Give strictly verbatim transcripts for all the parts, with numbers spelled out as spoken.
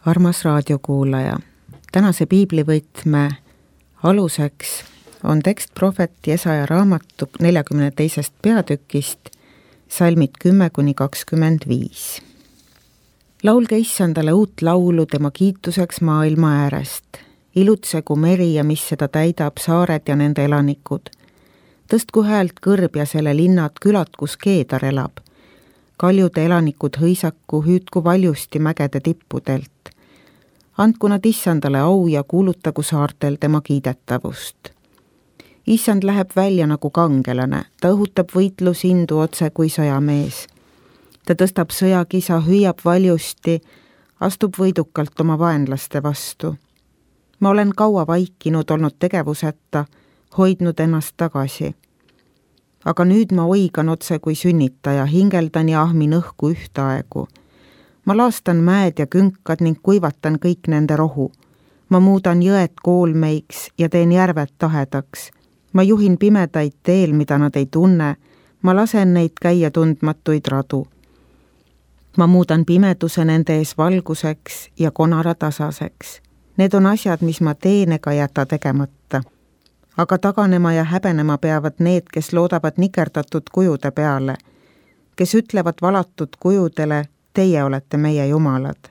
Armas raadiokuulaja, tänase piiblivõtme aluseks on tekst prohvet Jesaja raamatu neljakümne teisest peatükist, salmid kümme kuni kakskümmend viis. Laulge Issandale uut laulu tema kiituseks maailma äärest. Ilutsegu meri ja mis seda täidab, saared ja nende elanikud. Tõstku häält kõrb ja selle linnad, külad, kus Keedar elab. Kaljude elanikud hõisaku, hüüdku valjusti mägede tippudelt. Andku nad Issandale au ja kuulutagu saartel tema kiidetavust. Issand läheb välja nagu kangelane, ta õhutab võitlusindu otse kui sõjamees. Ta tõstab sõjakisa, hüüab valjusti, astub võidukalt oma vaenlaste vastu. Ma olen kaua vaikinud, olnud tegevuseta, hoidnud ennast tagasi. Aga nüüd ma oigan otse kui sünnitaja, hingeldan ja ahmin õhku ühtaegu. Ma laastan mäed ja künkad ning kuivatan kõik nende rohu. Ma muudan jõed koolmeiks ja teen järved tahedaks. Ma juhin pimedaid teel, mida nad ei tunne. Ma lasen neid käia tundmatuid radu. Ma muudan pimeduse nende ees valguseks ja konara tasaseks. Need on asjad, mis ma teen ega jäta tegemata. Aga taganema ja häbenema peavad need, kes loodavad nikerdatud kujude peale, kes ütlevad valatud kujudele, teie olete meie jumalad.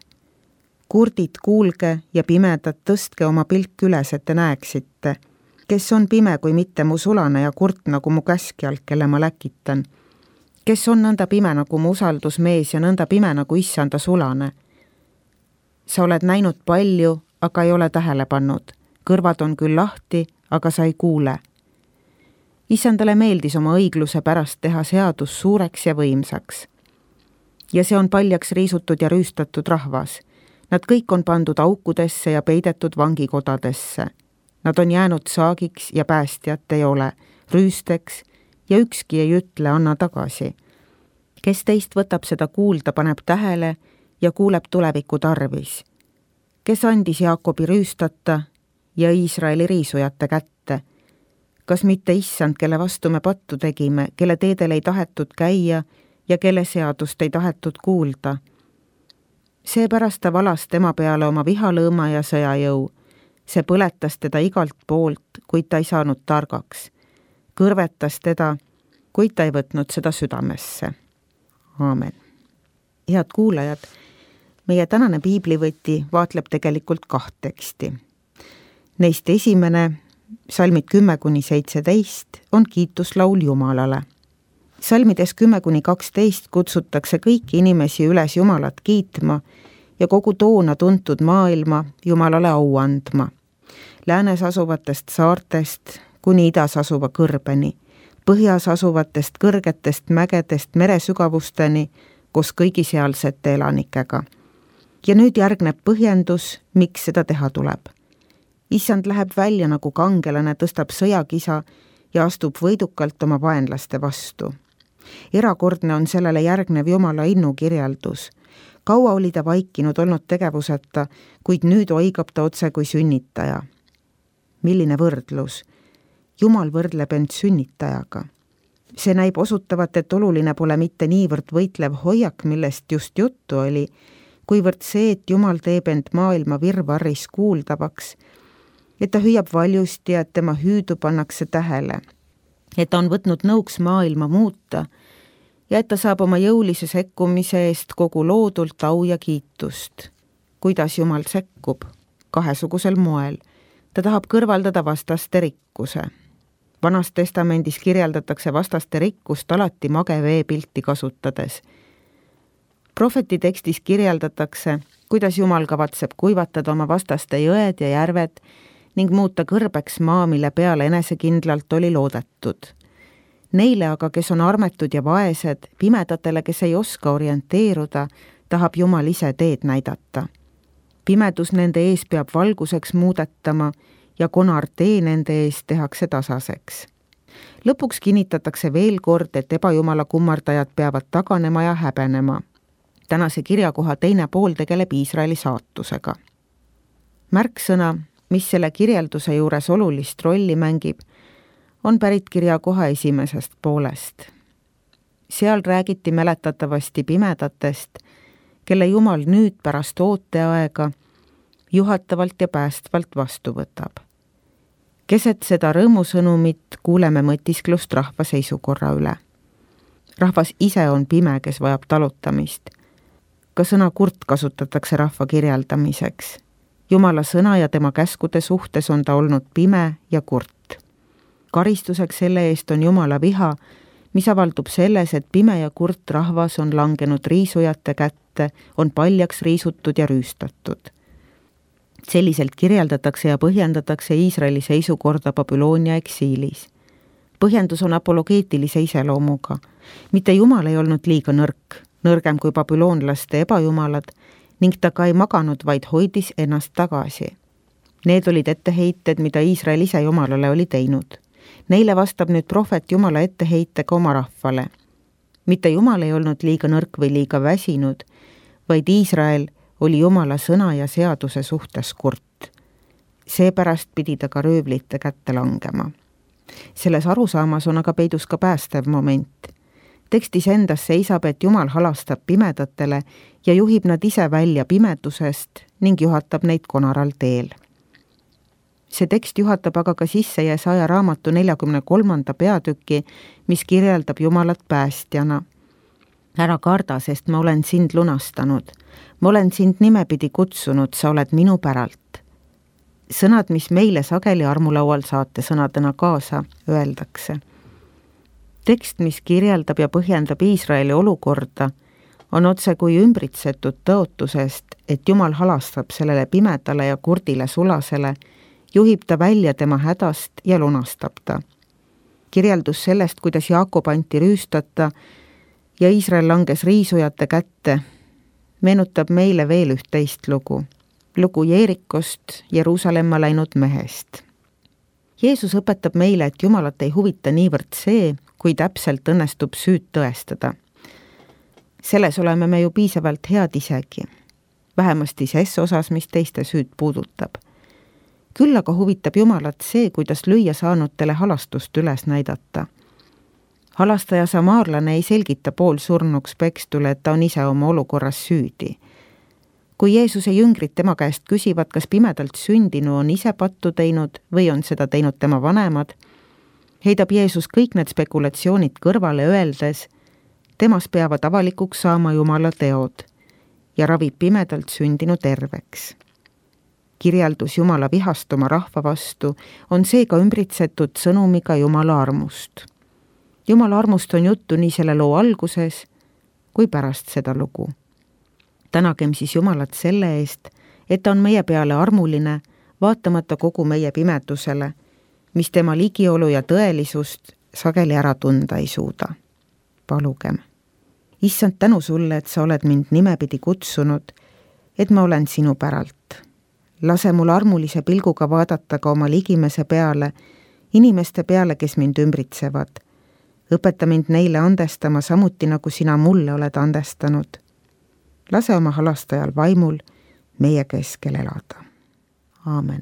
Kurdid, kuulge ja pimedad, tõstke oma pilk üles, et te näeksite, kes on pime kui mitte mu sulane ja kurt nagu mu käskjal, kelle ma läkitan. Kes on nõnda pime nagu mu usaldusmees ja nõnda pime nagu Issanda sulane. Sa oled näinud palju, aga ei ole tähele pannud. Kõrvad on küll lahti, aga sa ei kuule. Issandale meeldis oma õigluse pärast teha seadus suureks ja võimsaks. Ja see on paljaks riisutud ja rüüstatud rahvas. Nad kõik on pandud aukudesse ja peidetud vangikodadesse. Nad on jäänud saagiks ja päästjat ei ole, rüüsteks ja ükski ei ütle, anna tagasi. Kes teist võtab seda kuulda, paneb tähele ja kuuleb tuleviku tarvis. Kes andis Jaakobi rüüstata ja Iisraeli riisujate kätte? Kas mitte Issand, kelle vastu me pattu tegime, kelle teedel ei tahetud käia ja kelle seadust ei tahetud kuulda? Seepärast ta valas tema peale oma vihalõõma ja sõjajõu. See põletas teda igalt poolt, kuid ta ei saanud targaks. Kõrvetas teda, kuid ta ei võtnud seda südamesse. Aamen. Head kuulajad, meie tänane piiblivõti vaatleb tegelikult kaht teksti. Neist esimene, salmid kümme kuni seitseteist, on kiituslaul Jumalale. Salmides kümme kuni kaksteist kutsutakse kõiki inimesi üles Jumalat kiitma ja kogu toona tuntud maailma Jumalale au andma. Läänes asuvatest saartest kuni idas asuva kõrbeni, põhjas asuvatest kõrgetest mägedest meresügavusteni koos kõigi sealsete elanikega. Ja nüüd järgneb põhjendus, miks seda teha tuleb. Issand läheb välja nagu kangelane, tõstab sõjakisa ja astub võidukalt oma vaenlaste vastu. Erakordne on sellele järgnev Jumala innu kirjeldus. Kaua oli ta vaikinud, olnud tegevuseta, kuid nüüd oigab ta otse kui sünnitaja. Milline võrdlus? Jumal võrdleb end sünnitajaga. See näib osutavat, et oluline pole mitte niivõrd võitlev hoiak, millest just juttu oli, kuivõrd see, et Jumal teeb end maailma virvarris kuuldavaks, et ta hüüab valjusti ja et tema hüüdu pannakse tähele, et ta on võtnud nõuks maailma muuta ja et ta saab oma jõulise sekkumise eest kogu loodult au ja kiitust. Kuidas Jumal sekkub? Kahesugusel moel. Ta tahab kõrvaldada vastaste rikkuse. Vanas testamendis kirjeldatakse vastaste rikkust alati mage veepilti kasutades. Prohveti tekstis kirjeldatakse, kuidas Jumal kavatseb kuivatada oma vastaste jõed ja järved ning muuta kõrbeks maa, mille peale enesekindlalt oli loodetud. Neile aga, kes on armetud ja vaesed, pimedatele, kes ei oska orienteeruda, tahab Jumal ise teed näidata. Pimedus nende ees peab valguseks muudetama ja konar tee nende ees tehakse tasaseks. Lõpuks kinnitatakse veel kord, et ebajumala kummardajad peavad taganema ja häbenema. Tänase kirjakoha teine pool tegeleb Iisraeli saatusega. Märksõna, mis selle kirjelduse juures olulist rolli mängib, on pärit kirjakoha esimesest poolest. Seal räägiti mäletatavasti pimedatest, kelle Jumal nüüd pärast ooteaega juhatavalt ja päästvalt vastu võtab. Keset seda rõõmusõnumit kuuleme mõtisklust rahva seisukorra üle. Rahvas ise on pime, kes vajab talutamist. Ka sõna kurt kasutatakse rahva kirjeldamiseks. Jumala sõna ja tema käskude suhtes on ta olnud pime ja kurt. Karistuseks selle eest on Jumala viha, mis avaldub selles, et pime ja kurt rahvas on langenud riisujate kätte, on paljaks riisutud ja rüüstatud. Selliselt kirjeldatakse ja põhjendatakse Iisraeli seisukorda Babyloonia eksiilis. Põhjendus on apologeetilise iseloomuga. Mitte Jumal ei olnud liiga nõrk, nõrgem kui babüloonlaste ebajumalad, ning ta ka ei maganud, vaid hoidis ennast tagasi. Need olid etteheited, mida Iisrael ise Jumalale oli teinud. Neile vastab nüüd prohvet Jumala etteheitega oma rahvale. Mitte Jumal ei olnud liiga nõrk või liiga väsinud, vaid Iisrael oli Jumala sõna ja seaduse suhtes kurt. Seepärast pidi ta ka röövlite kätte langema. Selles arusaamas on aga peidus ka päästev moment. Tekstis endas seisab, et Jumal halastab pimedatele ja juhib nad ise välja pimedusest ning juhatab neid konaral teel. See tekst juhatab aga ka sisse Jesaja raamatu neljakümne kolmanda peatüki, mis kirjeldab Jumalat päästjana. Ära karda, sest ma olen sind lunastanud. Ma olen sind nimepidi kutsunud, sa oled minu päralt. Sõnad, mis meile sageli armulaual saate sõnadena kaasa, öeldakse. Tekst, mis kirjeldab ja põhjendab Iisraeli olukorda, on otse kui ümbritsetud tõotusest, et Jumal halastab sellele pimedale ja kurdile sulasele, juhib ta välja tema hädast ja lunastab ta. Kirjeldus sellest, kuidas Jaakob anti rüüstata ja Iisrael langes riisujate kätte, meenutab meile veel üht teist lugu. Lugu Jeerikost, Jeruusalemma läinud mehest. Jeesus õpetab meile, et Jumalat ei huvita niivõrd see, kui täpselt õnnestub süüd tõestada. Selles oleme me ju piisavalt head isegi, vähemasti ses osas, mis teiste süüd puudutab. Küll aga huvitab Jumalat see, kuidas lüüa saanutele halastust üles näidata. Halastaja samaarlane ei selgita poolsurnuks pekstule, et ta on ise oma olukorras süüdi. Kui Jeesuse jüngrid tema käest küsivad, kas pimedalt sündinu on ise pattu teinud või on seda teinud tema vanemad, heidab Jeesus kõik need spekulatsioonid kõrvale öeldes, temas peavad avalikuks saama Jumala teod ja ravib pimedalt sündinu terveks. Kirjeldus Jumala vihast oma rahva vastu on seega ümbritsetud sõnumiga Jumala armust. Jumala armust on juttu nii selle loo alguses kui pärast seda lugu. Tänagem siis Jumalat selle eest, et ta on meie peale armuline, vaatamata kogu meie pimedusele, mis tema ligiolu ja tõelisust sageli ära tunda ei suuda. Palugem. Issand, tänu sulle, et sa oled mind nimepidi kutsunud, et ma olen sinu päralt. Lase mul armulise pilguga vaadata ka oma ligimese peale, inimeste peale, kes mind ümbritsevad. Õpeta mind neile andestama samuti, nagu sina mulle oled andestanud. Lase oma halastajal vaimul meie keskel elada. Aamen.